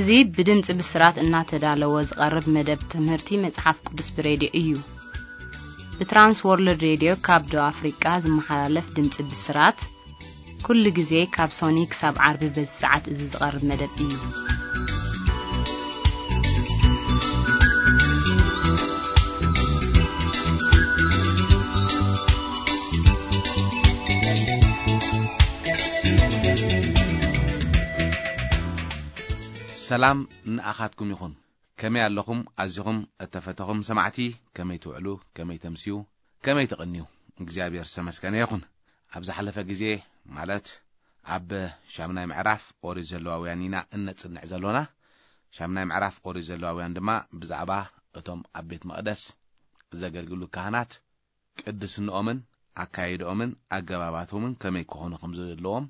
እዚ ብድምፂ ብስራት እናተዳለወ ዝቐርብ መደብ ትምህርቲ መፅሓፍ ቅዱስ ብሬድዮ እዩ። ብትራንስ ወርልድ ሬድዮ ካብ ደቡብ ኣፍሪቃ ዝመሓላለፍ ድምፂ ብስራት ኩሉ ግዜ ካብ ሶኒ ክሳብ ዓርቢ በዚ ሰዓት እዚ ዝቐርብ መደብ እዩ። ሰላም ንኣኻትኩም ይኹን። ከመይ ኣለኹም? ኣዚኹም እተፈተኹም ሰማዕቲ፣ ከመይ ትውዕሉ? ከመይ ተምስዩ? ከመይ ትቕንዩ? እግዚኣብሔር ዝተመስገነ ይኹን። ኣብ ዝሓለፈ ግዜ፣ ማለት ኣብ ሻምናይ ምዕራፍ ኦሪት ዘለዋውያን ኢና እነጽንዕ ዘሎና። ሻምናይ ምዕራፍ ኦሪት ዘለዋውያን ድማ ብዛዕባ እቶም ኣብ ቤት መቕደስ ዘገልግሉ ካህናት ቅድስንኦምን ኣካይድኦምን ኣገባባቶምን ከመይ ክኾኑ ከም ዘለዎም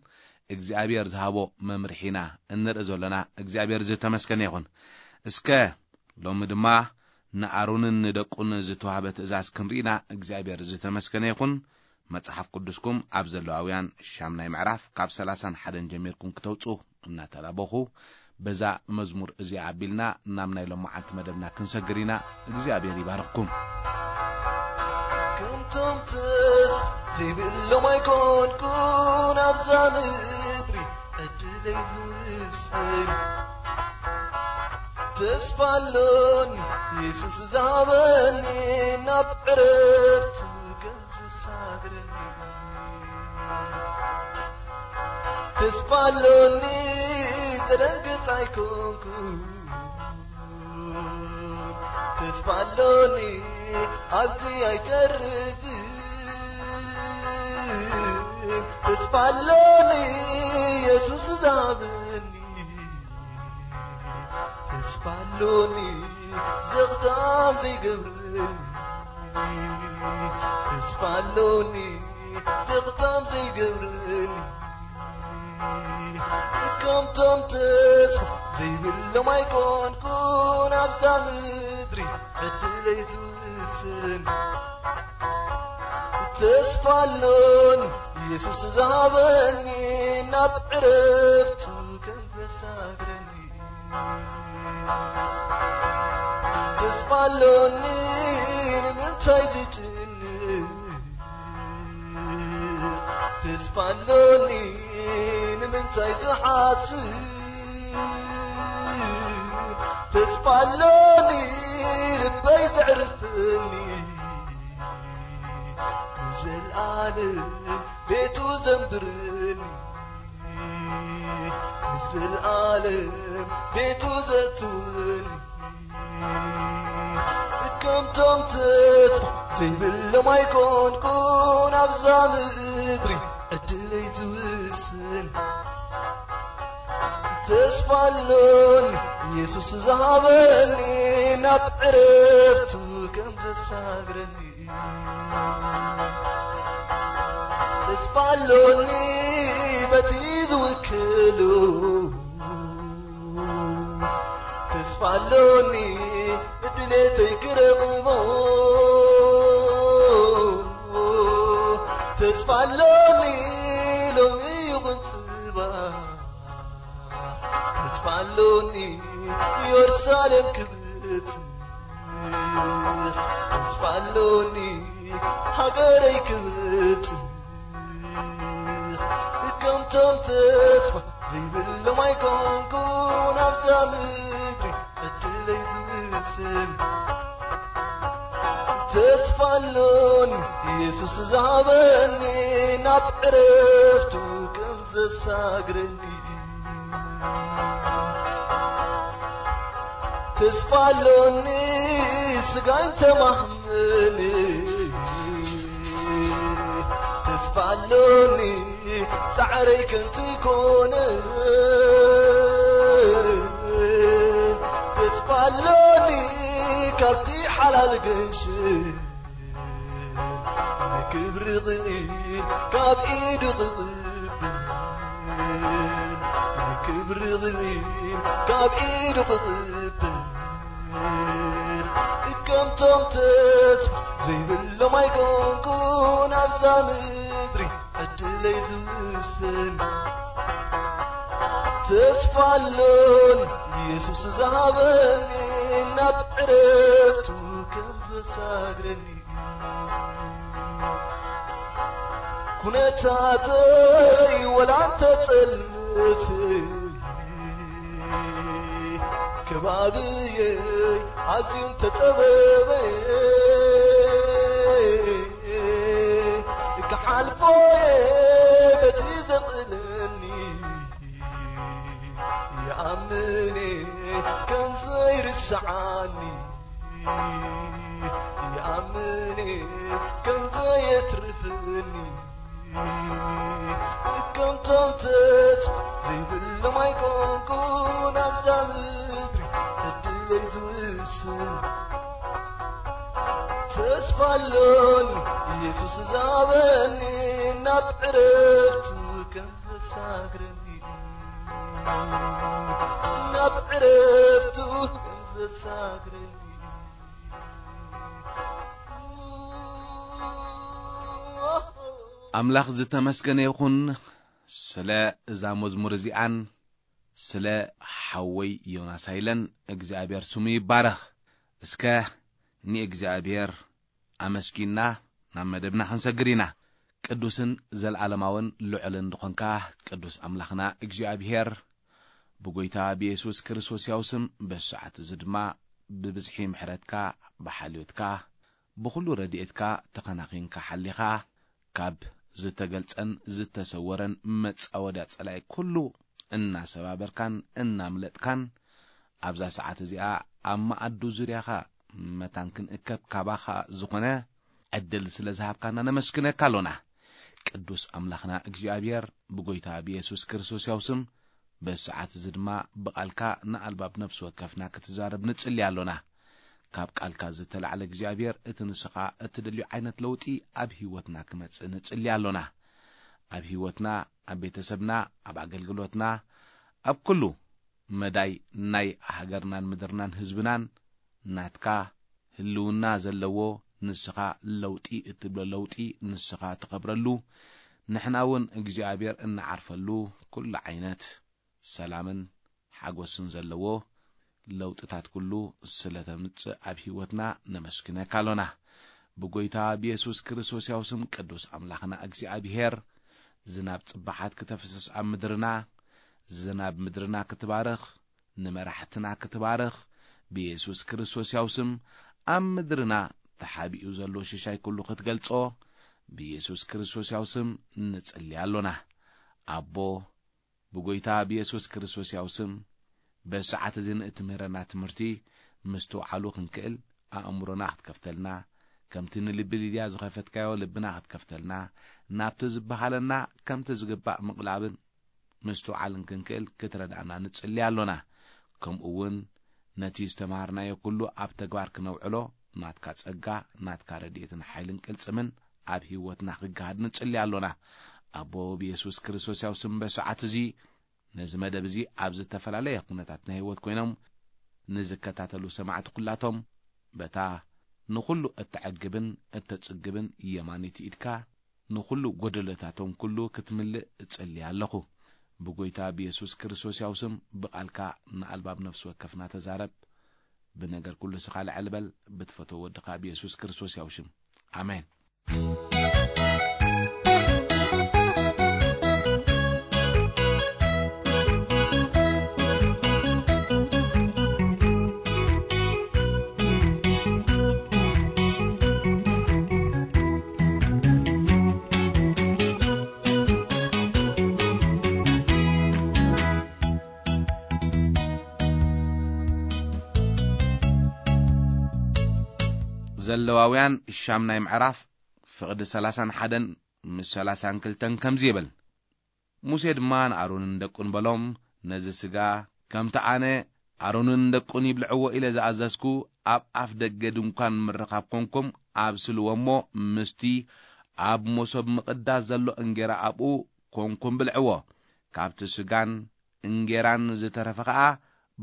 እግዚኣብሔር ዝሃቦ መምርሒና እንርኢ ዘሎና። እግዚኣብሔር ዝተመስገነ ይኹን። እስከ ሎሚ ድማ ንኣሮንን ንደቁን ዝተዋህበ ትእዛዝ ክንርኢና እግዚኣብሔር ዝተመስገነ ይኹን። መጽሓፍ ቅዱስኩም ኣብ ዘለዋውያን ሻምናይ ምዕራፍ ካብ ሰላሳን ሓደን ጀሚርኩም ክተውጹ እናተላበኹ፣ በዛ መዝሙር እዚኣ ኣቢልና ናብ ናይ ሎማዓንቲ መደብና ክንሰግር ኢና። እግዚኣብሔር ይባርኽኩም። ከምቶም ተስፋ ዘይብሎም ኣይኮንኩን ኣብዛ ምድሪ ዕድለይ ዝውስን። ተስፋ ኣሎኒ የሱስ ዝሃበኒ ናብ ዕረፍቱ ከም ዘሳግረኒ። ተስፋ ኣሎኒ ዘደንግጽ ኣይኮንኩን። ተስፋ ኣሎኒ ኣብዚ ኣይተርፍን። ተስፋ ኣሎኒ የሱስ ዝሃበኒ። ተስፋ ኣሎኒ ዘኽታም ዘይገብረኒ። ተስፋ ኣሎኒ ዘኽታም ዘይገብረኒ። ከምቶም ተስፋ ዘይብሎም ኣይኮንኩን ኣብዛ ምድሪ ዕድለይ ዝውስን። ተስፋ ኣሎኒ የሱስ ዝሃበኒ ናብ ዕረፍቱ ከም ዘሳግረኒ። ተስፋ ኣሎኒ ንምንታይ ዝጭንቕ? ተስፋ ኣሎኒ ንምንታይ ዝሓስብ? ተስፋ ኣሎኒ ልበይ ዘዕርፈኒ፣ ንዘለኣለም ቤቱ ዘንብረኒ፣ ንዘለኣለም ቤቱ ዘእትወኒ። ከምቶም ተስፋ ዘይብሎም ኣይኮንኩን ኣብዛ ምድሪ ዕድለይ ዝውስን። ተስፋ ኣሎኒ የሱስ ዝሃበኒ ናብ ዕረፍቱ ከም ዘሳግረኒ። ተስፋ ኣሎኒ በቲ ዝውክሉ። ተስፋ ኣሎኒ ድሌተይ ክረኽቦ። ተስፋ ኣሎኒ ሎሚ ይኹን ጽባሕ። ተስፋ ኣሎኒ ኢየሩሳሌም ክብጽሕ። ተስፋ ኣሎኒ ሃገረይ ክብጽሕ። ከምቶም ተስፋ ዘይብሎም ኣይኮንኩን ኣብዛ ምድሪ ዕድለይ ዝውስን። ተስፋ ኣሎኒ የሱስ ዝሃበኒ ናብ ዕረፍቱ ከም ዘሳግረኒ። ተስፋ ኣሎኒ ስጋይ ተማህመኒ። ተስፋ ኣሎኒ ጻዕረይ ከንቱ ይኮነ። ተስፋ ኣሎኒ ካብቲ ሓላል ገንሽ ንክብሪ ቕኢል ካብ ኢዱ ክቕብል። ንክብሪ ቕኢል ካብ ኢዱ ክቕብል። ከምቶም ተስፋ ዘይብሎም ኣይኮንኩን ኣብዛ ምድሪ ዕድለይ ዝውስን። ተስፋ ኣሎን ኢየሱስ ዝሃበኒ፣ ናብ ዕረፍቱ ከም ዘሳግረኒ። ኩነታተይ ወላ እንተ ጸልመት፣ ከባብየይ ኣዝዩ እንተ ጸበበ፣ ክሓልፎ እየ በቲ ዘኽእለኒ። ይኣምን እየ ከም ዘይርስዓኒ፣ ይኣምን እየ ከም ዘየትርፍኒ። ከምቶም ተስፋ ዘይብሎም ኣይኮንኩን ኣብዛ ምድሪ ዕድለይ ዝውስን። ተስፋ ኣሎኒ ኢየሱስ ዝሃበኒ፣ ናብ ዕረፍቱ ከም ዘሳግረኒ፣ ናብ ዕረፍቱ ከም ዘሳግረኒ። ኣምላኽ ዝተመስገነ ይኹን ስለ እዛ መዝሙር እዚኣን ስለ ሓወይ ዮናስ ሃይለን እግዚኣብሔር ስሙ ይባረኽ። እስከ ንእግዚኣብሔር ኣመስጊና ናብ መደብና ክንሰግር ኢና። ቅዱስን ዘለዓለማውን ልዑልን ዝኾንካ ቅዱስ ኣምላኽና እግዚኣብሔር፣ ብጎይታ ብየሱስ ክርስቶስ ያው ስም በዚ ሰዓት እዚ ድማ ብብዝሒ ምሕረትካ፣ ብሓልዮትካ፣ ብኹሉ ረድኤትካ ተኸናኺንካ ሓሊኻ፣ ካብ ዝተገልጸን ዝተሰወረን መጻወድያ ጸላኢ ኩሉ እናሰባበርካን እናምለጥካን፣ ኣብዛ ሰዓት እዚኣ ኣብ መኣዱ ዙርያኻ መታን ክንእከብ ካባኻ ዝኾነ ዕድል ስለ ዝሃብካና ነመስግነካ ኣሎና። ቅዱስ ኣምላኽና እግዚኣብሔር፣ ብጎይታ ብየሱስ ክርስቶስ ያው ስም በዚ ሰዓት እዚ ድማ ብቓልካ ንኣልባብ ነፍሲ ወከፍና ክትዛረብ ንጽሊ ኣሎና። ካብ ቃልካ ዝተላዕለ እግዚኣብሔር፣ እቲ ንስኻ እትደልዮ ዓይነት ለውጢ ኣብ ህይወትና ክመጽእ ንጽሊ ኣሎና። ኣብ ህይወትና፣ ኣብ ቤተሰብና፣ ኣብ ኣገልግሎትና፣ ኣብ ኩሉ መዳይ ናይ ሃገርናን ምድርናን ህዝብናን ናትካ ህልውና ዘለዎ፣ ንስኻ ለውጢ እትብሎ ለውጢ ንስኻ ትኸብረሉ፣ ንሕና እውን እግዚኣብሔር እንዓርፈሉ ኩሉ ዓይነት ሰላምን ሓጎስን ዘለዎ ለውጥታት ኩሉ ስለ ተምጽእ ኣብ ህይወትና ነመስግነካ ኣሎና። ብጎይታ ብየሱስ ክርስቶስ ያው ስም ቅዱስ ኣምላኽና እግዚኣብሔር፣ ዝናብ ጽባሓት ክተፍስስ ኣብ ምድርና፣ ዝናብ ምድርና ክትባርኽ፣ ንመራሕትና ክትባርኽ፣ ብየሱስ ክርስቶስ ያው ስም ኣብ ምድርና ተሓቢኡ ዘሎ ሽሻይ ኩሉ ክትገልጾ፣ ብየሱስ ክርስቶስ ያው ስም ንጽሊ ኣሎና። ኣቦ፣ ብጎይታ ብየሱስ ክርስቶስ ያው ስም፣ በዚ ሰዓት እዚ ንእትምህረና ትምህርቲ ምስትውዓሉ ክንክእል ኣእምሮና ክትከፍተልና፣ ከምቲ ንልቢ ሊድያ ዝኸፈትካዮ ልብና ክትከፍተልና፣ ናብቲ ዝበሃለና ከምቲ ዝግባእ ምቕላብን ምስትውዓልን ክንክእል ክትረድኣና ንጽሊ ኣሎና። ከምኡ እውን ነቲ ዝተምሃርናዮ ኩሉ ኣብ ተግባር ክነውዕሎ ናትካ ጸጋ፣ ናትካ ረድኤትን ሓይልን ቅልጽምን ኣብ ህይወትና ክገሃድ ንጽሊ ኣሎና። ኣቦ ብየሱስ ክርስቶስ ያው ስም በሰዓት እዚ ነዚ መደብ እዚ ኣብ ዝተፈላለየ ኩነታት ናይ ህይወት ኮይኖም ንዝከታተሉ ሰማዕቲ ኩላቶም በታ ንኹሉ እተዕግብን እተጽግብን የማኒት ኢድካ ንኹሉ ጎደሎታቶም ኩሉ ክትምልእ እጽሊ ኣለኹ። ብጎይታ ብየሱስ ክርስቶስ ያው ስም ብቓልካ ንኣልባብ ነፍሲ ወከፍና ተዛረብ። ብነገር ኩሉ ስኻ ልዕል በል፣ ብትፈትዎ ወድኻ ብየሱስ ክርስቶስ ያው ሽም። ኣሜን። ዘለዋውያን ሻምናይ ምዕራፍ ፍቕዲ ሰላሳን ሓደን ምስ ሰላሳን ክልተን ከምዚ ይብል። ሙሴ ድማ ንኣሮንን ደቁን በሎም፣ ነዚ ስጋ ከምቲ ኣነ ኣሮንን ደቁን ይብልዕዎ ኢለ ዝኣዘዝኩ ኣብ ኣፍ ደገ ድንኳን ምርኻብ ኮንኩም ኣብስልዎ እሞ ምስቲ ኣብ መሶብ ምቕዳስ ዘሎ እንጌራ ኣብኡ ኮንኩም ብልዕዎ። ካብቲ ስጋን እንጌራን ዝተረፈ ኸኣ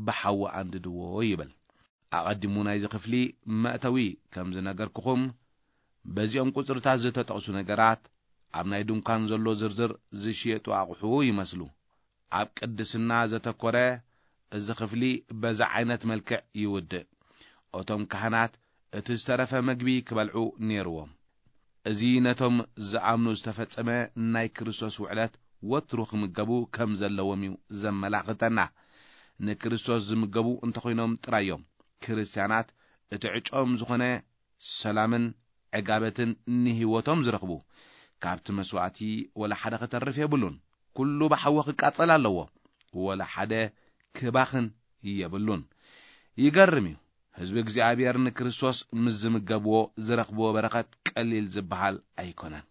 ብሓዊ ኣንድድዎ ይብል። ኣቐዲሙ ናይዚ ክፍሊ መእተዊ ከም ዝነገርኩኹም፣ በዚኦም ቁጽርታት ዝተጠቕሱ ነገራት ኣብ ናይ ድንኳን ዘሎ ዝርዝር ዝሽየጡ ኣቑሑ ይመስሉ። ኣብ ቅድስና ዘተኮረ እዚ ክፍሊ በዚ ዓይነት መልክዕ ይውድእ። እቶም ካህናት እቲ ዝተረፈ መግቢ ክበልዑ ነይርዎም። እዚ ነቶም ዝኣምኑ ዝተፈጸመ ናይ ክርስቶስ ውዕለት ወትሩ ክምገቡ ከም ዘለዎም እዩ ዘመላኽተና። ንክርስቶስ ዝምገቡ እንተኾይኖም ጥራይ እዮም ክርስትያናት እቲ ዕጨኦም ዝኾነ ሰላምን ዕጋበትን ንህይወቶም ዝረኽቡ። ካብቲ መስዋእቲ ወላ ሓደ ከተርፍ የብሉን። ኩሉ ብሓዊ ክቃጸል ኣለዎ። ወላ ሓደ ክባኽን የብሉን። ይገርም እዩ። ህዝቢ እግዚኣብሔር ንክርስቶስ ምስ ዝምገብዎ ዝረኽብዎ በረኸት ቀሊል ዝበሃል ኣይኮነን።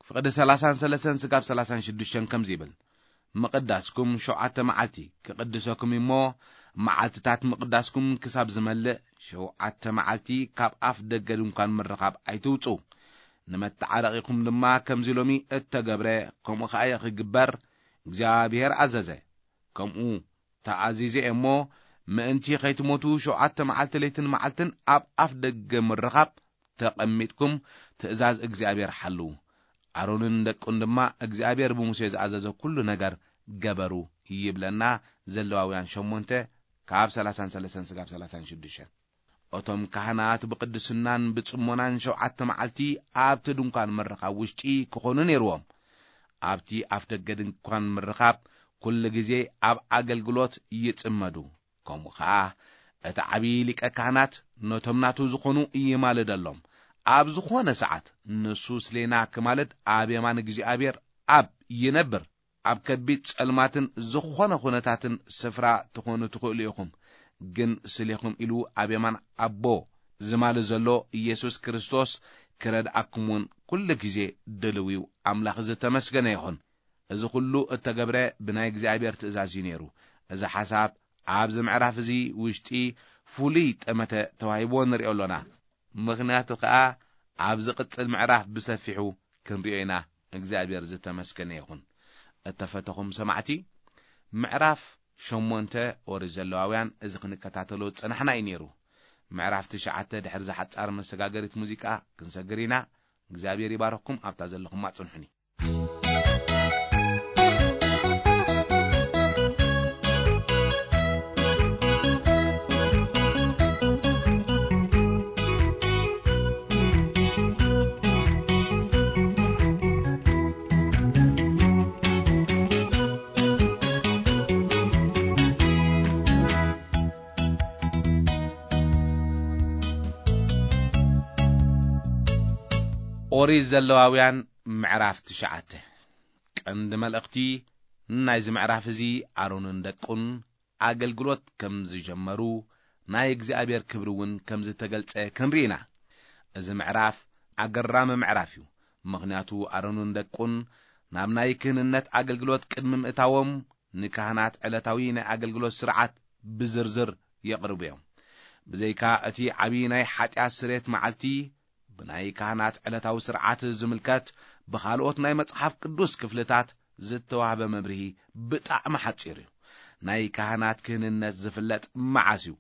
ፍቕዲ ሰላሳን ሰለስተን ስጋብ ሰላሳን ሽዱሽተን ከምዚ ይብል፣ ምቕዳስኩም ሸውዓተ መዓልቲ ክቕድሰኩም እሞ፣ መዓልትታት ምቕዳስኩም ክሳብ ዝመልእ ሸውዓተ መዓልቲ ካብ ኣፍ ደገ ድንኳን ምርኻብ ኣይትውጹ። ንመተዓረቒኹም ድማ ከምዚ ሎሚ እተገብረ ከምኡ ኸኣ ክግበር እግዚኣብሔር ኣዘዘ። ከምኡ ተኣዚዘ እየ እሞ፣ ምእንቲ ኸይትሞቱ ሸውዓተ መዓልቲ ለይትን መዓልትን ኣብ ኣፍ ደገ ምርኻብ ተቐሚጥኩም ትእዛዝ እግዚኣብሔር ሓልዉ። ኣሮንን ደቁን ድማ እግዚኣብሔር ብሙሴ ዝኣዘዘ ኩሉ ነገር ገበሩ ይብለና። ዘለዋውያን ሸሞንተ ካብ ሰላሳን ሰለስተን ስጋብ ሰላሳን ሽዱሽተን። እቶም ካህናት ብቅድስናን ብጽሞናን ሸውዓተ መዓልቲ ኣብቲ ድንኳን ምርኻብ ውሽጢ ክኾኑ ነይርዎም። ኣብቲ ኣፍ ደገ ድንኳን ምርኻብ ኩሉ ግዜ ኣብ ኣገልግሎት ይጽመዱ። ከምኡ ኸኣ እቲ ዓብዪ ሊቀ ካህናት ነቶም ናቱ ዝኾኑ ይማልደሎም። ኣብ ዝኾነ ሰዓት ንሱ ስሌና ክማልድ ኣብ የማን እግዚኣብሔር ኣብ ይነብር። ኣብ ከቢድ ጸልማትን ዝኾነ ኩነታትን ስፍራ ትኾኑ ትኽእሉ ኢኹም። ግን ስሌኹም ኢሉ ኣብ የማን ኣቦ ዝማል ዘሎ ኢየሱስ ክርስቶስ ክረድኣኩም እውን ኩሉ ግዜ ድልው እዩ። ኣምላኽ ዝተመስገነ ይኹን። እዚ ኩሉ እተገብረ ብናይ እግዚኣብሔር ትእዛዝ እዩ ነይሩ። እዚ ሓሳብ ኣብዚ ምዕራፍ እዚ ውሽጢ ፍሉይ ጠመተ ተዋሂብዎ ንሪኦ ኣሎና። ምኽንያቱ ከኣ ኣብ ዝቕጽል ምዕራፍ ብሰፊሑ ክንሪኦ ኢና። እግዚኣብሔር ዝተመስገነ ይኹን። እተፈተኹም ሰማዕቲ፣ ምዕራፍ ሸሞንተ ኦሪት ዘለዋውያን እዚ ክንከታተሎ ዝጸናሕና እዩ ነይሩ። ምዕራፍ ትሽዓተ ድሕሪ ዝሓጻር መሰጋገሪት ሙዚቃ ክንሰግር ኢና። እግዚኣብሔር ይባረኩም። ኣብታ ዘለኹማ ጽንሑኒ። ኦሪት ዘለዋውያን ምዕራፍ ትሽዓተ። ቀንዲ መልእኽቲ ናይዚ ምዕራፍ እዚ ኣሮንን ደቁን ኣገልግሎት ከም ዝጀመሩ፣ ናይ እግዚኣብሔር ክብሪ እውን ከም ዝተገልጸ ክንርኢ ኢና። እዚ ምዕራፍ ኣገራሚ ምዕራፍ እዩ። ምኽንያቱ ኣሮንን ደቁን ናብ ናይ ክህንነት ኣገልግሎት ቅድሚ ምእታዎም ንካህናት ዕለታዊ ናይ ኣገልግሎት ስርዓት ብዝርዝር የቕርቡ እዮም። ብዘይካ እቲ ዓብዪ ናይ ሓጢኣት ስሬት መዓልቲ ብናይ ካህናት ዕለታዊ ስርዓት ዝምልከት ብኻልኦት ናይ መጽሓፍ ቅዱስ ክፍልታት ዝተዋህበ መብርሂ ብጣዕሚ ሓጺር እዩ። ናይ ካህናት ክህንነት ዝፍለጥ መዓስ እዩ?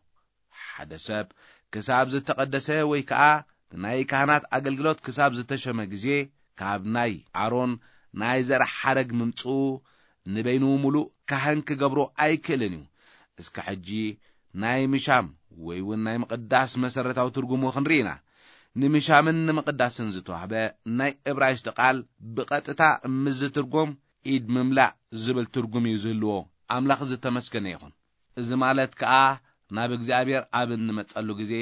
ሓደ ሰብ ክሳብ ዝተቐደሰ ወይ ከኣ ናይ ካህናት ኣገልግሎት ክሳብ ዝተሸመ ግዜ፣ ካብ ናይ ኣሮን ናይ ዘር ሓረግ ምምጽኡ ንበይኑ ምሉእ ካህን ክገብሮ ኣይክእልን እዩ። እስከ ሕጂ ናይ ምሻም ወይ እውን ናይ ምቕዳስ መሰረታዊ ትርጉሙ ክንርኢ ኢና። ንምሻምን ንምቕዳስን ዝተዋህበ ናይ እብራይስጢ ቃል ብቐጥታ ምስ ዝትርጎም ኢድ ምምላእ ዝብል ትርጉም እዩ ዝህልዎ። ኣምላኽ ዝተመስገነ ይኹን። እዚ ማለት ከኣ ናብ እግዚኣብሔር ኣብ እንመጸሉ ግዜ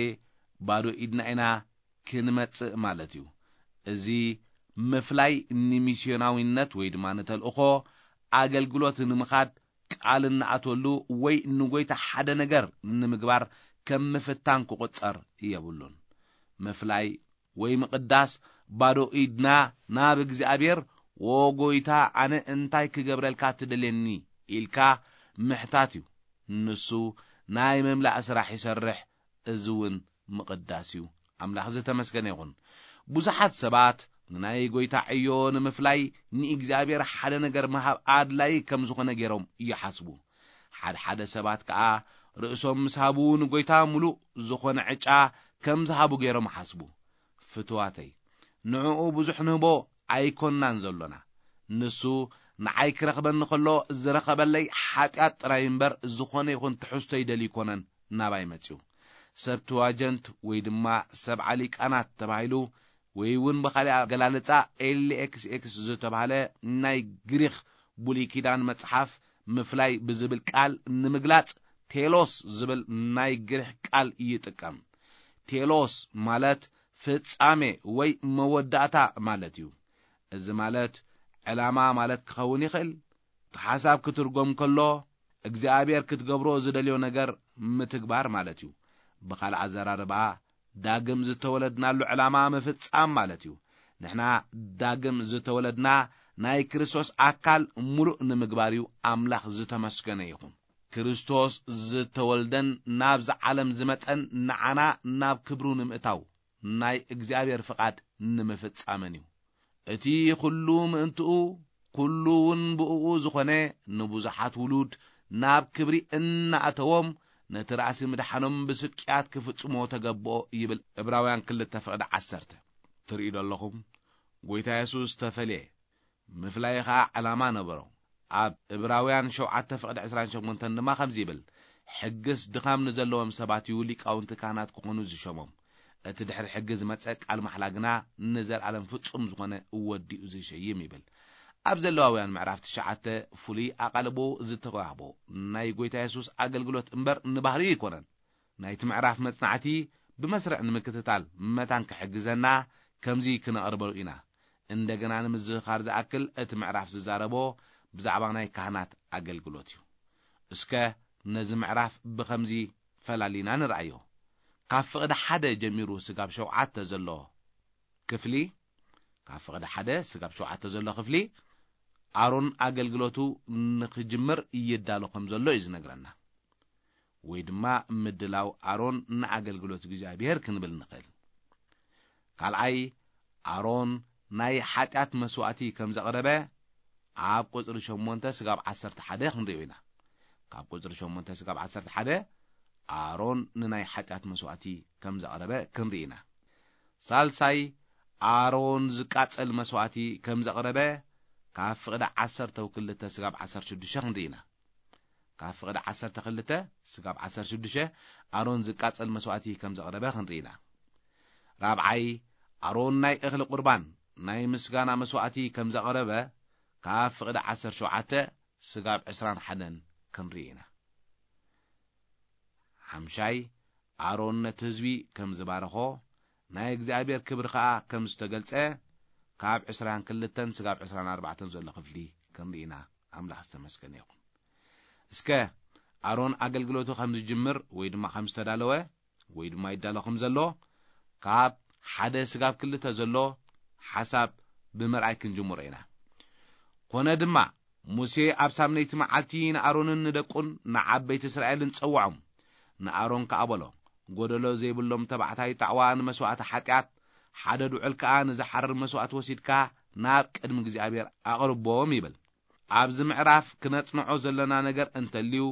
ባዶ ኢድና ኢና ክንመጽእ ማለት እዩ። እዚ ምፍላይ ንሚስዮናዊነት ወይ ድማ ንተልእኾ ኣገልግሎት ንምኻድ ቃል እንኣትወሉ ወይ ንጎይታ ሓደ ነገር ንምግባር ከም ምፍታን ክቑጸር የብሉን። ምፍላይ ወይ ምቕዳስ ባዶ ኢድና ናብ እግዚኣብሔር፣ "ዎ ጎይታ፣ ኣነ እንታይ ክገብረልካ ትደልየኒ?" ኢልካ ምሕታት እዩ። ንሱ ናይ ምምላእ ስራሕ ይሰርሕ፣ እዚ እውን ምቕዳስ እዩ። ኣምላኽ ዝተመስገነ ይኹን። ብዙሓት ሰባት ንናይ ጎይታ ዕዮ ንምፍላይ ንእግዚኣብሔር ሓደ ነገር ምሃብ ኣድላይ ከም ዝኾነ ገይሮም ይሓስቡ። ሓድሓደ ሰባት ከኣ ርእሶም ምስ ሃቡ ንጎይታ ምሉእ ዝኾነ ዕጫ ከም ዝሃቡ ገይሮም ይሓስቡ። ፍትዋተይ፣ ንዕኡ ብዙሕ ንህቦ ኣይኮንናን ዘሎና። ንሱ ንዓይ ክረኽበኒ ከሎ ዝረኸበለይ ሓጢኣት ጥራይ እምበር ዝኾነ ይኹን ትሕዝቶ ይደሊ ኣይኮነን ናባይ መጺኡ። ሰብትዋጀንት ወይ ድማ ሰብዓ ሊቃናት ተባሂሉ ወይ እውን ብኻልእ ኣገላልጻ ኤል ኤክስ ኤክስ ዝተባህለ ናይ ግሪኽ ብሉይ ኪዳን መጽሓፍ ምፍላይ ብዝብል ቃል ንምግላጽ ቴሎስ ዝብል ናይ ግሪኽ ቃል ይጥቀም። ቴሎስ ማለት ፍጻሜ ወይ መወዳእታ ማለት እዩ። እዚ ማለት ዕላማ ማለት ክኸውን ይኽእል። እቲ ሓሳብ ክትርጎም ከሎ እግዚኣብሔር ክትገብሮ ዝደልዮ ነገር ምትግባር ማለት እዩ። ብኻልእ ኣዘራርባ ዳግም ዝተወለድናሉ ዕላማ ምፍጻም ማለት እዩ። ንሕና ዳግም ዝተወለድና ናይ ክርስቶስ ኣካል ሙሉእ ንምግባር እዩ። ኣምላኽ ዝተመስገነ ይኹን። ክርስቶስ ዝተወልደን ናብዚ ዓለም ዝመጸን ንዓና ናብ ክብሩ ንምእታው ናይ እግዚኣብሔር ፍቓድ ንምፍጻምን እዩ። እቲ ኩሉ ምእንትኡ ኩሉ እውን ብእኡ ዝኾነ ንብዙሓት ውሉድ ናብ ክብሪ እናእተዎም ነቲ ራእሲ ምድሓኖም ብስቅያት ክፍጽሞ ተገብኦ ይብል ዕብራውያን ክልተ ፍቕዲ ዓሰርተ። ትርእዩ ዶ ኣለኹም? ጎይታ የሱስ ተፈልየ ምፍላይ ኸኣ ዕላማ ነበሮ። ኣብ ዕብራውያን ሸውዓተ ፍቕዲ ዕስራን ሸሞንተን ድማ ከምዚ ይብል፣ ሕግስ ድኻም ንዘለዎም ሰባት እዩ ሊቃውንቲ ካህናት ክኾኑ ዝሸሞም። እቲ ድሕሪ ሕጊ ዝመጸ ቃል ማሕላ ግና ንዘለኣለም ፍጹም ዝኾነ ወዲኡ ዝሸይም ይብል። ኣብ ዘለዋውያን ምዕራፍ ትሽዓተ ፍሉይ ኣቓልቦ ዝተዋህቦ ናይ ጎይታ የሱስ ኣገልግሎት እምበር ንባህርዩ ኣይኮነን። ናይቲ ምዕራፍ መጽናዕቲ ብመስርዕ ንምክትታል መታን ክሕግዘና ከምዚ ክነቕርበሉ ኢና። እንደገና ንምዝኽኻር ዝኣክል እቲ ምዕራፍ ዝዛረቦ ብዛዕባ ናይ ካህናት ኣገልግሎት እዩ። እስከ ነዚ ምዕራፍ ብኸምዚ ፈላሊና ንርኣዮ። ካብ ፍቕዲ ሓደ ጀሚሩ ስጋብ ሸውዓተ ዘሎ ክፍሊ፣ ካብ ፍቕዲ ሓደ ስጋብ ሸውዓተ ዘሎ ክፍሊ ኣሮን ኣገልግሎቱ ንኽጅምር ይዳሎ ከም ዘሎ እዩ ዝነግረና። ወይ ድማ ምድላው ኣሮን ንኣገልግሎት እግዚኣብሔር ክንብል ንኽእል። ካልኣይ ኣሮን ናይ ሓጢኣት መስዋእቲ ከም ዘቕረበ ኣብ ቁጽሪ ሸሞንተ ስጋብ ዓሰርተ ሓደ ክንርእዮ ኢና። ካብ ቁጽሪ ሸሞንተ ስጋብ ዓሰርተ ሓደ ኣሮን ንናይ ሓጢኣት መስዋእቲ ከም ዘቕረበ ክንርኢ ኢና። ሳልሳይ ኣሮን ዝቃጸል መስዋእቲ ከም ዘቕረበ ካብ ፍቕዲ ዓሰርተ ክልተ ስጋብ ዓሰርተ ሽዱሽተ ክንርኢ ኢና። ካብ ፍቕዲ ዓሰርተ ክልተ ስጋብ ዓሰርተ ሽዱሽተ ኣሮን ዝቃጸል መስዋእቲ ከም ዘቕረበ ክንርኢ ኢና። ራብዓይ ኣሮን ናይ እኽሊ ቁርባን ናይ ምስጋና መስዋእቲ ከም ዘቕረበ ካብ ፍቕዲ ዓሰርተ ሸውዓተ ስጋብ ዕስራን ሓደን ክንርኢ ኢና። ሓምሻይ ኣሮን ነቲ ህዝቢ ከም ዝባረኾ ናይ እግዚኣብሔር ክብሪ ኸኣ ከም ዝተገልጸ ካብ ዕስራን ክልተን ስጋብ ዕስራን ኣርባዕተን ዘሎ ክፍሊ ክንርኢ ኢና። ኣምላኽ ዝተመስገነ ይኹን። እስከ ኣሮን ኣገልግሎቱ ከም ዝጅምር ወይ ድማ ከም ዝተዳለወ ወይ ድማ ይዳሎ ከም ዘሎ ካብ ሓደ ስጋብ ክልተ ዘሎ ሓሳብ ብምርኣይ ክንጅምሮ ኢና። ኮነ ድማ ሙሴ ኣብ ሳምነይቲ መዓልቲ ንኣሮንን ንደቁን ንዓበይቲ እስራኤልን ጸውዖም። ንኣሮን ከኣ በሎ፣ ጎደሎ ዘይብሎም ተባዕታይ ጣዕዋ ንመስዋእቲ ሓጢኣት፣ ሓደ ድዑል ከኣ ንዝሓርር መስዋእቲ ወሲድካ ናብ ቅድሚ እግዚኣብሔር ኣቕርቦም ይብል። ኣብዚ ምዕራፍ ክነጽንዖ ዘለና ነገር እንተልዩ፣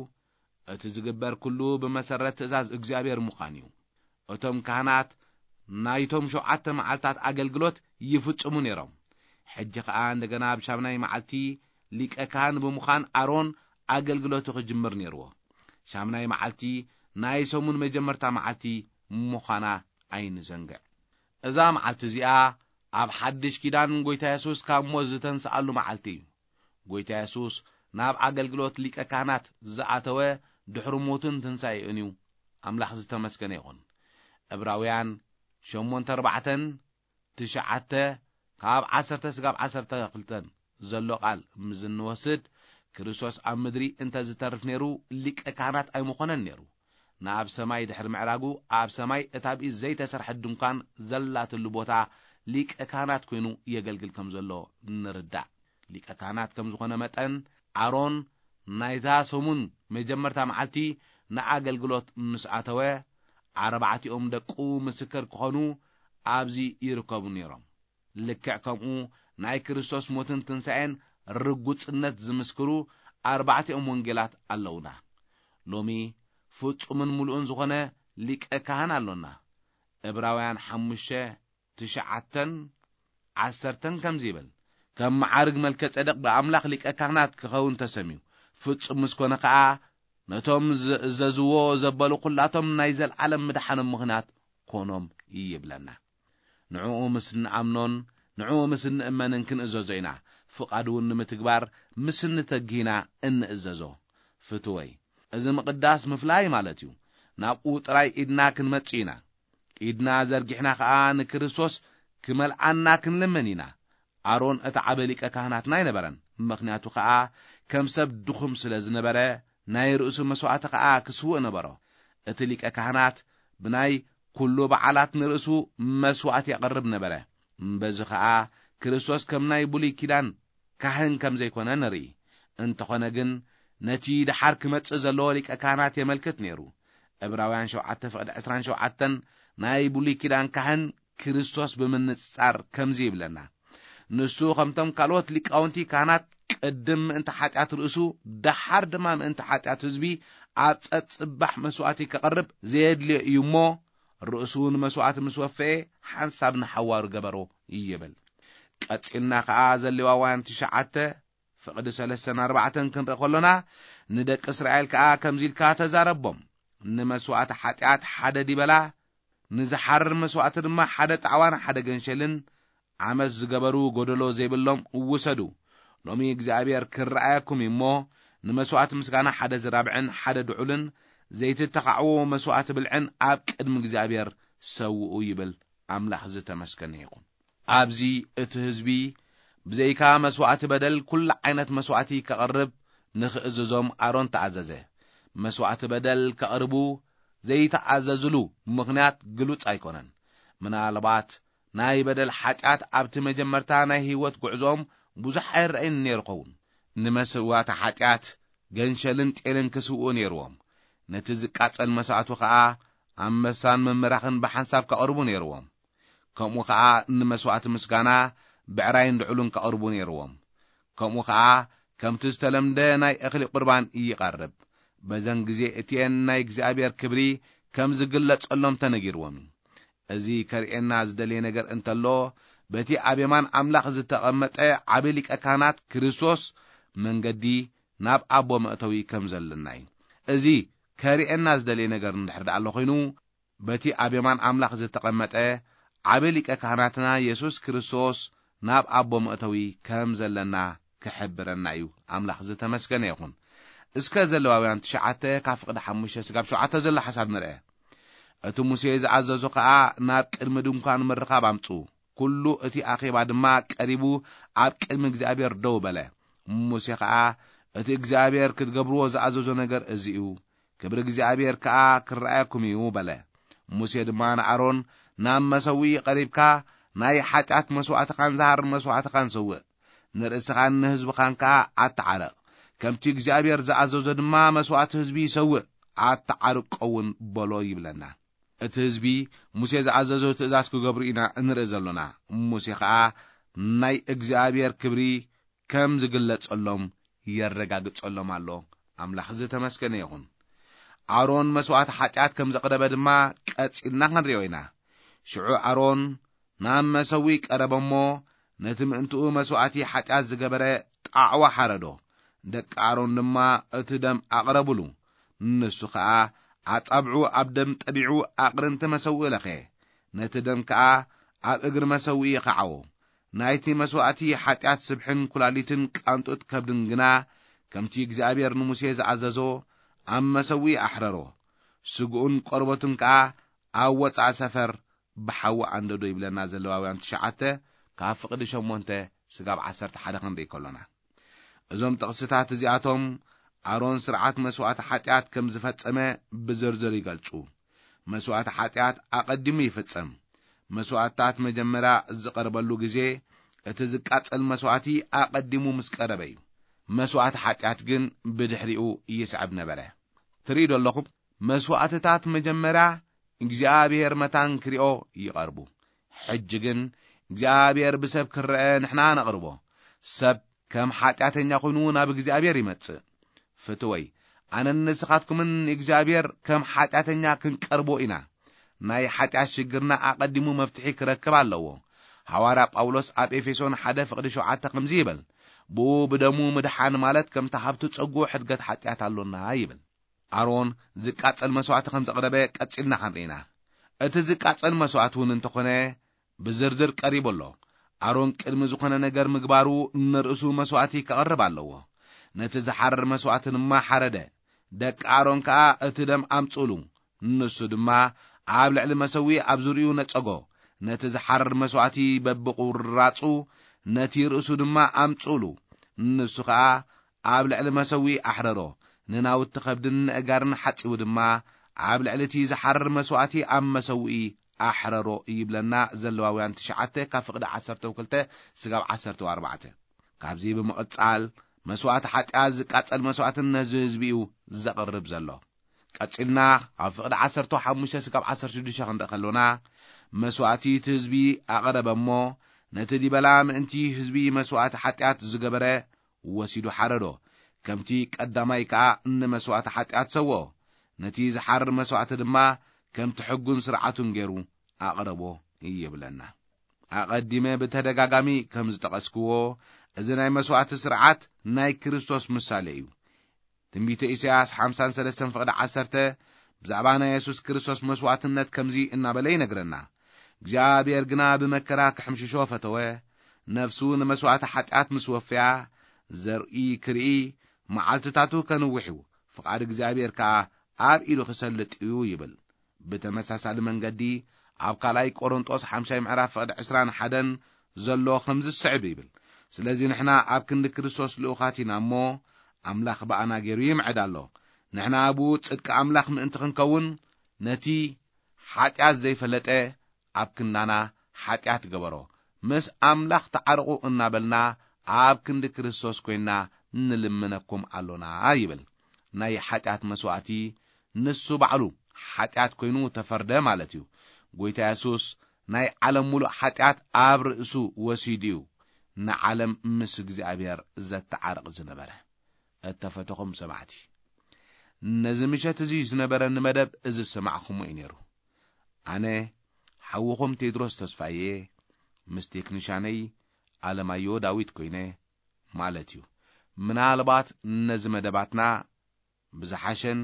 እቲ ዝግበር ኩሉ ብመሰረት ትእዛዝ እግዚኣብሔር ምዃን እዩ። እቶም ካህናት ናይቶም ሸውዓተ መዓልታት ኣገልግሎት ይፍጽሙ ነይሮም። ሕጂ ኸኣ እንደገና ኣብ ሻምናይ መዓልቲ ሊቀ ካህን ብምዃን ኣሮን ኣገልግሎቱ ክጅምር ነይርዎ። ሻምናይ መዓልቲ ናይ ሰሙን መጀመርታ መዓልቲ ምዃና ኣይንዘንግዕ። እዛ መዓልቲ እዚኣ ኣብ ሓድሽ ኪዳን ጎይታ የሱስ ካብ ሞት ዝተንስኣሉ መዓልቲ እዩ። ጎይታ የሱስ ናብ ኣገልግሎት ሊቀ ካህናት ዝኣተወ ድሕሪ ሞትን ትንሳኤኡን እዩ። ኣምላኽ ዝተመስገነ ይኹን። ዕብራውያን ሸሞንተ ኣርባዕተን ትሽዓተ ካብ ዓሰርተ ስጋብ ዓሰርተ ክልተን ዘሎ ቃል ምስ እንወስድ፣ ክርስቶስ ኣብ ምድሪ እንተ ዝተርፍ ነይሩ፣ ሊቀ ካህናት ኣይምኾነን ነይሩ። ናብ ሰማይ ድሕሪ ምዕራጉ፣ ኣብ ሰማይ እታ ብኢድ ዘይተሰርሐት ድንኳን ዘላትሉ ቦታ ሊቀ ካህናት ኮይኑ የገልግል ከም ዘሎ ንርዳእ። ሊቀ ካህናት ከም ዝኾነ መጠን፣ ኣሮን ናይታ ሰሙን መጀመርታ መዓልቲ ንኣገልግሎት ምስ ኣተወ፣ ኣርባዕቲኦም ደቁ ምስክር ክኾኑ ኣብዚ ይርከቡ ነይሮም። ልክዕ ከምኡ ናይ ክርስቶስ ሞትን ትንሳኤን ርጉጽነት ዝምስክሩ ኣርባዕቲኦም ወንጌላት ኣለዉና። ሎሚ ፍጹምን ምሉእን ዝኾነ ሊቀ ካህን ኣሎና። ዕብራውያን ሓሙሽተ ትሽዓተን ዓሰርተን ከምዚ ይብል፣ ከም መዓርግ መልከ ጸደቅ ብኣምላኽ ሊቀ ካህናት ክኸውን ተሰምዩ። ፍጹም ምስ ኮነ ከኣ ነቶም ዝእዘዝዎ ዘበሉ ኩላቶም ናይ ዘልዓለም ምድሓኖም ምኽንያት ኮኖም ይብለና። ንዕኡ ምስ እንኣምኖን ንዕኡ ምስ እንእመንን ክንእዘዞ ኢና። ፍቓዱ እውን ንምትግባር ምስ እንተግህ ኢና እንእዘዞ። ፍትወይ፣ እዚ ምቕዳስ ምፍላይ ማለት እዩ። ናብኡ ጥራይ ኢድና ክንመጽእ ኢና። ኢድና ዘርጊሕና ኸኣ ንክርስቶስ ክመልኣና ክንልምን ኢና። ኣሮን እቲ ዓቢ ሊቀ ካህናትና ኣይነበረን። ምኽንያቱ ኸኣ ከም ሰብ ድኹም ስለ ዝነበረ ናይ ርእሱ መስዋእቲ ኸኣ ክስውእ ነበሮ። እቲ ሊቀ ካህናት ብናይ ኩሉ በዓላት ንርእሱ መስዋእቲ የቕርብ ነበረ። በዚ ኸኣ ክርስቶስ ከም ናይ ብሉይ ኪዳን ካህን ከም ዘይኮነ ንርኢ። እንተኾነ ግን ነቲ ደሓር ክመጽእ ዘለዎ ሊቀ ካህናት የመልክት ነይሩ። ዕብራውያን ሸውዓተ ፍቕዲ ዕስራን ሸውዓተን ናይ ብሉይ ኪዳን ካህን ክርስቶስ ብምንጽጻር ከምዚ ይብለና። ንሱ ከምቶም ካልኦት ሊቃውንቲ ካህናት ቅድም ምእንቲ ሓጢኣት ርእሱ፣ ደሓር ድማ ምእንቲ ሓጢኣት ህዝቢ ኣብ ጸጽባሕ መስዋእቲ ከቕርብ ዘየድልዮ እዩ እሞ፣ ርእሱ ንመስዋእቲ ምስ ወፈየ ሓንሳብ ንሓዋሩ ገበሮ ይብል። ቀጺልና ኸኣ ዘሌዋውያን ትሽዓተ ፍቕዲ ሰለስተን ኣርባዕተን ክንርኢ ከሎና፣ ንደቂ እስራኤል ከኣ ከምዚ ኢልካ ተዛረቦም፣ ንመስዋእቲ ሓጢኣት ሓደ ዲበላ፣ ንዝሓርር መስዋእቲ ድማ ሓደ ጣዕዋን ሓደ ገንሸልን፣ ዓመት ዝገበሩ ጎደሎ ዘይብሎም ውሰዱ። ሎሚ እግዚኣብሔር ክረኣየኩም እዩ እሞ፣ ንመስዋእቲ ምስጋና ሓደ ዝራብዕን ሓደ ድዑልን ዘይትተኻዕዎ መስዋእቲ ብልዕን ኣብ ቅድሚ እግዚኣብሔር ሰውኡ ይብል። ኣምላኽ ዝተመስገነ ይኹን። ኣብዚ እቲ ህዝቢ ብዘይካ መስዋእቲ በደል ኩሉ ዓይነት መስዋእቲ ከቕርብ ንኽእዝዞም ኣሮን ተኣዘዘ። መስዋእቲ በደል ከቕርቡ ዘይተኣዘዝሉ ምኽንያት ግሉጽ ኣይኮነን። ምናልባት ናይ በደል ሓጢኣት ኣብቲ መጀመርታ ናይ ህይወት ጉዕዞኦም ብዙሕ ኣይረኣይን ነይሩ ኸውን። ንመስዋእቲ ሓጢኣት ገንሸልን ጤልን ክስውኡ ነይርዎም። ነቲ ዝቃጸል መስዋእቱ ኸኣ ኣንበሳን መመራኽን ብሓንሳብ ከቕርቡ ነይርዎም። ከምኡ ኸኣ ንመስዋእቲ ምስጋና ብዕራይን ድዕሉን ከቕርቡ ነይርዎም። ከምኡ ኸኣ ከምቲ ዝተለምደ ናይ እኽሊ ቁርባን ይቐርብ። በዘን ግዜ እቲኤን ናይ እግዚኣብሔር ክብሪ ከም ዝግለጸሎም ተነጊርዎም እዩ። እዚ ከርእየና ዝደልየ ነገር እንተሎ፣ በቲ ኣብ የማን ኣምላኽ ዝተቐመጠ ዓቢ ሊቀ ካህናት ክርስቶስ መንገዲ ናብ ኣቦ መእተዊ ከም ዘለና እዩ። እዚ ከርእየና ዝደልየ ነገር እንድሕር ደኣ ኣሎ ኮይኑ፣ በቲ ኣብ የማን ኣምላኽ ዝተቐመጠ ዓቢ ሊቀ ካህናትና የሱስ ክርስቶስ ናብ ኣቦ መእተዊ ከም ዘለና ክሕብረና እዩ። ኣምላኽ ዝተመስገነ ይኹን። እስከ ዘለዋውያን ትሽዓተ ካብ ፍቕዲ ሓሙሽተ ስጋብ ሸውዓተ ዘሎ ሓሳብ ንርአ። እቲ ሙሴ ዝኣዘዞ ኸኣ ናብ ቅድሚ ድንኳን ምርኻብ ኣምጽኡ። ኩሉ እቲ ኣኼባ ድማ ቀሪቡ ኣብ ቅድሚ እግዚኣብሔር ደው በለ። ሙሴ ኸኣ እቲ እግዚኣብሔር ክትገብርዎ ዝኣዘዞ ነገር እዚ እዩ። ክብሪ እግዚኣብሔር ከኣ ክረኣየኩም እዩ በለ። ሙሴ ድማ ንኣሮን ናብ መሰውኢ ቀሪብካ ናይ ሓጢኣት መስዋእትኻን ዝሃር መስዋእትኻን ሰውእ። ንርእስኻን ንህዝብኻን ከኣ ኣተዓርቕ። ከምቲ እግዚኣብሔር ዝኣዘዞ ድማ መስዋእቲ ህዝቢ ይሰውእ፣ ኣተዓርቆ እውን በሎ ይብለና። እቲ ህዝቢ ሙሴ ዝኣዘዞ ትእዛዝ ክገብሩ ኢና እንርኢ ዘሎና። ሙሴ ኸኣ ናይ እግዚኣብሔር ክብሪ ከም ዝግለጸሎም የረጋግጸሎም ኣሎ። ኣምላኽ ዝተመስገነ ይኹን። ኣሮን መስዋእቲ ሓጢኣት ከም ዘቕረበ ድማ ቀጺልና ክንሪኦ ኢና። ሽዑ ኣሮን ናብ መሰዊ ቀረበ እሞ ነቲ ምእንትኡ መስዋእቲ ሓጢኣት ዝገበረ ጣዕዋ ሓረዶ። ደቂ ኣሮን ድማ እቲ ደም ኣቕረቡሉ። ንሱ ኸኣ ኣጻብዑ ኣብ ደም ጠቢዑ ኣቕርንቲ መሰውኢ ለኸየ። ነቲ ደም ከኣ ኣብ እግሪ መሰውኢ ኸዓዎ። ናይቲ መስዋእቲ ሓጢኣት ስብሕን ኩላሊትን ቃንጡት ከብድን ግና ከምቲ እግዚኣብሔር ንሙሴ ዝኣዘዞ ኣብ መሰውኢ ኣሕረሮ። ስግኡን ቆርበቱን ከኣ ኣብ ወጻኢ ሰፈር ብሓዊ ኣንደዶ ይብለና ዘለዋውያን ትሽዓተ ካብ ፍቕዲ ሸሞንተ ስጋብ ዓሰርተ ሓደ ክንርኢ ከሎና። እዞም ጥቕስታት እዚኣቶም ኣሮን ስርዓት መስዋእቲ ሓጢኣት ከም ዝፈጸመ ብዝርዝር ይገልጹ። መስዋእቲ ሓጢኣት ኣቐዲሙ ይፍጸም። መስዋእትታት መጀመርያ ዝቐርበሉ ግዜ እቲ ዝቃጸል መስዋእቲ ኣቐዲሙ ምስ ቀረበ እዩ። መስዋእቲ ሓጢኣት ግን ብድሕሪኡ ይስዕብ ነበረ። ትርእዩ ዶ ኣለኹም? መስዋእትታት መጀመርያ እግዚኣብሔር መታን ክሪኦ ይቐርቡ። ሕጂ ግን እግዚኣብሔር ብሰብ ክረአ ንሕና ነቕርቦ። ሰብ ከም ሓጢኣተኛ ኮይኑ ናብ እግዚኣብሔር ይመጽእ። ፍትወይ፣ ኣነን ንስኻትኩምን ንእግዚኣብሔር ከም ሓጢኣተኛ ክንቀርቦ ኢና። ናይ ሓጢኣት ሽግርና ኣቐዲሙ መፍትሒ ክረክብ ኣለዎ። ሓዋርያ ጳውሎስ ኣብ ኤፌሶን ሓደ ፍቕዲ ሸውዓተ ከምዚ ይብል፣ "ብኡ ብደሙ ምድሓን ማለት ከምቲ ሃብቲ ጸጉ ሕድገት ሓጢኣት ኣሎና" ይብል። ኣሮን ዝቃጸል መስዋዕቲ ከም ዘቕረበ ቀጺልና ክንርኢና። እቲ ዝቃጸል መስዋዕቲ እውን እንተኾነ ብዝርዝር ቀሪቡ ኣሎ። ኣሮን ቅድሚ ዝኾነ ነገር ምግባሩ ንርእሱ መስዋዕቲ ከቕርብ ኣለዎ። ነቲ ዝሓርር መስዋዕቲ ድማ ሓረደ። ደቂ ኣሮን ከኣ እቲ ደም ኣምጽኡሉ። ንሱ ድማ ኣብ ልዕሊ መሰዊ ኣብ ዙርኡ ነጸጎ። ነቲ ዝሓርር መስዋዕቲ በብቑራጹ ነቲ ርእሱ ድማ ኣምጽኡሉ። ንሱ ኸኣ ኣብ ልዕሊ መሰዊ ኣሕረሮ። ንናውቲ ከብድን ንእጋርን ሓጺቡ ድማ ኣብ ልዕሊ እቲ ዝሓርር መስዋዕቲ ኣብ መሰውኢ ኣሕረሮ ይብለና። ዘለዋውያን ትሽዓተ ካብ ፍቕዲ ዓሰርተ ክልተ ስጋብ ዓሰርተ ኣርባዕተ። ካብዚ ብምቕጻል መስዋዕቲ ሓጢኣት ዝቃጸል መስዋዕትን ነዚ ህዝቢ እዩ ዘቕርብ ዘሎ። ቀጺልና ኣብ ፍቕዲ ዓሰርተ ሓሙሽተ ስጋብ ዓሰርተ ሽዱሽተ ክንርኢ ከሎና፣ መስዋዕቲ እቲ ህዝቢ ኣቕረበ እሞ፣ ነቲ ዲበላ ምእንቲ ህዝቢ መስዋዕቲ ሓጢኣት ዝገበረ ወሲዱ ሓረዶ። ከምቲ ቀዳማይ ከኣ ንመስዋዕቲ ሓጢኣት ሰውኦ። ነቲ ዝሓርር መስዋዕቲ ድማ ከምቲ ሕጉን ስርዓቱን ገይሩ ኣቕረቦ ይብለና። ኣቐዲመ ብተደጋጋሚ ከም ዝጠቐስክዎ፣ እዚ ናይ መስዋዕቲ ስርዓት ናይ ክርስቶስ ምሳሌ እዩ። ትንቢተ ኢሳያስ ሓምሳን ሰለስተን ፍቕዲ ዓሰርተ ብዛዕባ ናይ የሱስ ክርስቶስ መስዋዕትነት ከምዚ እናበለ ይነግረና፣ "እግዚኣብሔር ግና ብመከራ ክሕምሽሾ ፈተወ፣ ነፍሱ ንመስዋዕቲ ሓጢኣት ምስ ወፍያ፣ ዘርኢ ክርኢ፣ መዓልትታቱ ከንውሕ እዩ፣ ፍቓድ እግዚኣብሔር ከኣ ኣብ ኢዱ ክሰልጥ እዩ" ይብል። ብተመሳሳሊ መንገዲ፣ ኣብ ካልኣይ ቆሮንጦስ ሓምሻይ ምዕራፍ ፍቕዲ ዕስራን ሓደን ዘሎ ከምዚ ዝስዕብ ይብል፣ "ስለዚ ንሕና ኣብ ክንዲ ክርስቶስ ልኡኻት ኢና እሞ፣ ኣምላኽ ብኣና ገይሩ ይምዕድ ኣሎ። ንሕና ብኡ ጽድቂ ኣምላኽ ምእንቲ ክንከውን፣ ነቲ ሓጢኣት ዘይፈለጠ ኣብ ክንዳና ሓጢኣት ገበሮ። ምስ ኣምላኽ ተዓረቑ እናበልና ኣብ ክንዲ ክርስቶስ ኮይንና ንልምነኩም ኣሎና" ይብል። ናይ ሓጢኣት መስዋዕቲ ንሱ ባዕሉ ሓጢኣት ኮይኑ ተፈርደ ማለት እዩ። ጎይታ የሱስ ናይ ዓለም ሙሉእ ሓጢኣት ኣብ ርእሱ ወሲዱ እዩ ንዓለም ምስ እግዚኣብሔር ዘተዓርቕ ዝነበረ። እተፈተኹም ሰማዕቲ፣ ነዚ ምሸት እዚ ዝነበረኒ መደብ እዚ ዝሰማዕኹሞ እዩ ነይሩ። ኣነ ሓውኹም ቴድሮስ ተስፋዬ ምስ ቴክኒሻነይ ኣለማዮ ዳዊት ኮይነ ማለት እዩ። ምናልባት ነዚ መደባትና ብዝሓሸን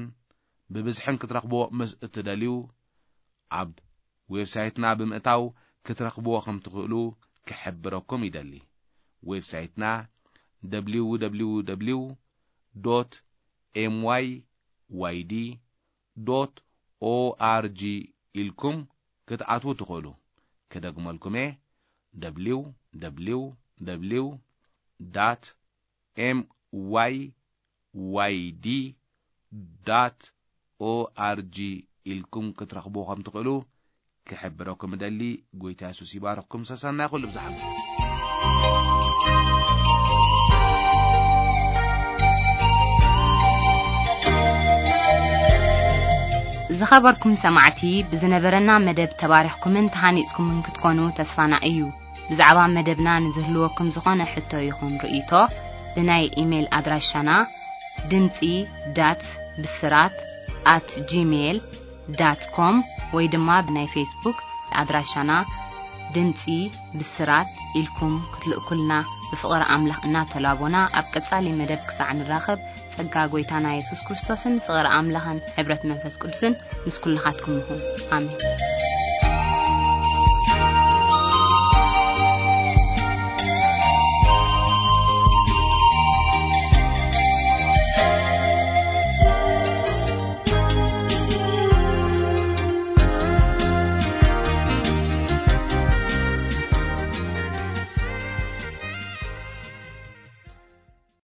ብብዝሕን ክትረኽብዎ ምስ እትደልዩ፣ ኣብ ዌብሳይትና ብምእታው ክትረኽብዎ ከም ትኽእሉ ክሕብረኩም ይደሊ። ዌብሳይትና ደብሊው ደብሊው ደብሊው ዶት ኤም ዋይ ዋይ ዲ ዶት ኦ ኣር ጂ ኢልኩም ክትኣትዉ ትኽእሉ። ክደግመልኩም እየ፣ ደብሊው ደብሊው ደብሊው ዳት ኤም ዋይ ዋይ ዲ ዳት ኦ ኣር ጂ ኢልኩም ክትረኽቡ ከም ትኽእሉ ክሕብረኩም እደሊ። ጎይታ የሱስ ይባርኽኩም። ሰሰናይ ኩሉ ብዝሓት። ዝኸበርኩም ሰማዕቲ፣ ብዝነበረና መደብ ተባሪኽኩምን ተሃኒጽኩምን ክትኮኑ ተስፋና እዩ። ብዛዕባ መደብና ንዝህልወኩም ዝኾነ ሕቶ ይኹን ርእይቶ፣ ብናይ ኢሜይል ኣድራሻና ድምጺ ዳት ብስራት ኣት ጂሜይል ዳት ኮም ወይ ድማ ብናይ ፌስቡክ ኣድራሻና ድምጺ ብስራት ኢልኩም ክትልእኩልና ብፍቕሪ ኣምላኽ እናተላቦና፣ ኣብ ቀጻሊ መደብ ክሳዕ ንራኸብ፣ ጸጋ ጎይታና የሱስ ክርስቶስን ፍቕሪ ኣምላኽን ሕብረት መንፈስ ቅዱስን ምስ ኩልኻትኩም ይኹን። ኣሜን።